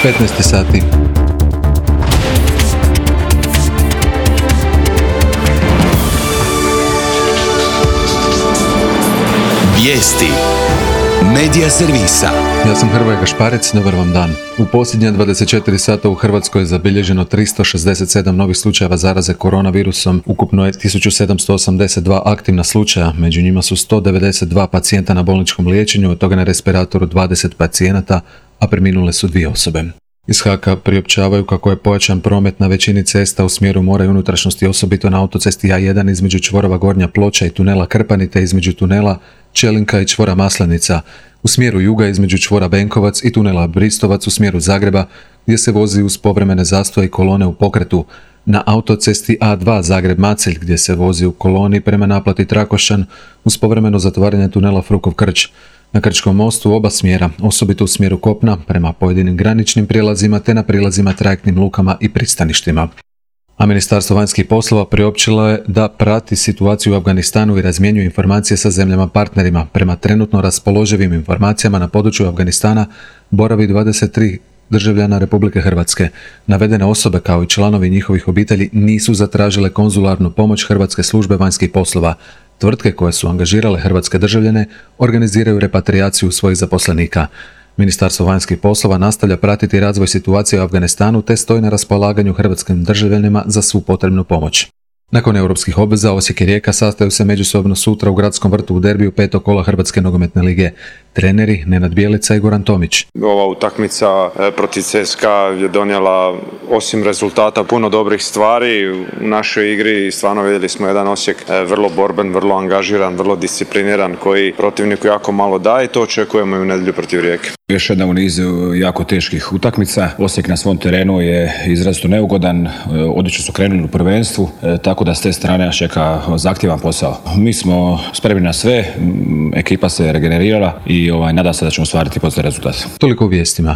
15 sati. Vijesti Medija servisa. Ja sam Hrvoje Gašparec, dobar vam dan. U posljednja 24 sata u Hrvatskoj je zabilježeno 367 novih slučajeva zaraze koronavirusom. Ukupno je 1782 aktivna slučaja, među njima su 192 pacijenta na bolničkom liječenju, od toga na respiratoru 20 pacijenata, a preminule su 2 osobe. Iz HAK-a priopćavaju kako je pojačan promet na većini cesta u smjeru mora i unutrašnjosti, osobito na autocesti A1 između čvorova Gornja Ploča i tunela Krpani, te između tunela Čelinka i čvora Maslenica, u smjeru juga između čvora Benkovac i tunela Bristovac u smjeru Zagreba, gdje se vozi uz povremene zastoje i kolone u pokretu, na autocesti A2 Zagreb-Macelj, gdje se vozi u koloni prema naplati Trakošćan uz povremeno zatvaranje tunela Frukov Krč. Na Krčkom mostu u oba smjera, osobito u smjeru kopna, prema pojedinim graničnim prijelazima te na prilazima trajektnim lukama i pristaništima. A Ministarstvo vanjskih poslova priopćilo je da prati situaciju u Afganistanu i razmjenjuje informacije sa zemljama partnerima. Prema trenutno raspoloživim informacijama na području Afganistana boravi 23 državljana Republike Hrvatske. Navedene osobe kao i članovi njihovih obitelji nisu zatražile konzularnu pomoć Hrvatske službe vanjskih poslova. Tvrtke koje su angažirale hrvatske državljane organiziraju repatriaciju svojih zaposlenika. Ministarstvo vanjskih poslova nastavlja pratiti razvoj situacije u Afganistanu te stoji na raspolaganju hrvatskim državljanima za svu potrebnu pomoć. Nakon europskih obveza, Osijek i Rijeka sastaju se međusobno sutra u Gradskom vrtu u derbiju 5. kola Hrvatske nogometne lige. Treneri Nenad Bjelica i Goran Tomić. Ova utakmica protiv CSKA je donijela osim rezultata puno dobrih stvari u našoj igri. Stvarno vidjeli smo jedan Osijek vrlo borben, vrlo angažiran, vrlo discipliniran, koji protivniku jako malo daje i to očekujemo i u nedjelju protiv Rijeke. Još jedna u nizu jako teških utakmica. Osijek na svom terenu je izrazito neugodan, odlično su krenuli u prvenstvu, tako da s te strane nas čeka zahtjevan posao. Mi smo spremni na sve, ekipa se regenerirala i nadam se da ćemo ostvariti poslije rezultat. Toliko u vijestima.